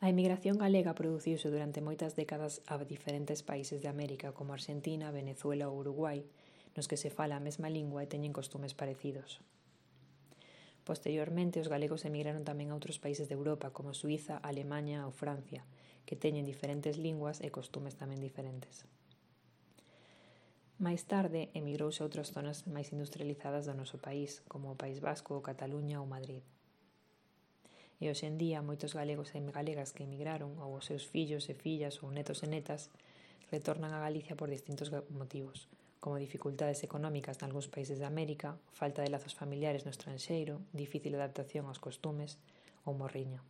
A emigración galega produciuse durante moitas décadas a diferentes países de América como Argentina, Venezuela ou Uruguai, nos que se fala a mesma lingua e teñen costumes parecidos. Posteriormente, os galegos emigraron tamén a outros países de Europa como Suiza, Alemaña ou Francia, que teñen diferentes linguas e costumes tamén diferentes. Máis tarde, emigrouse a outras zonas máis industrializadas do noso país, como o País Vasco, Cataluña ou Madrid. E hoxe en día, moitos galegos e galegas que emigraron, ou os seus fillos e fillas ou netos e netas, retornan a Galicia por distintos motivos, como dificultades económicas nalgúns países de América, falta de lazos familiares no estranxeiro, difícil adaptación aos costumes ou morriña.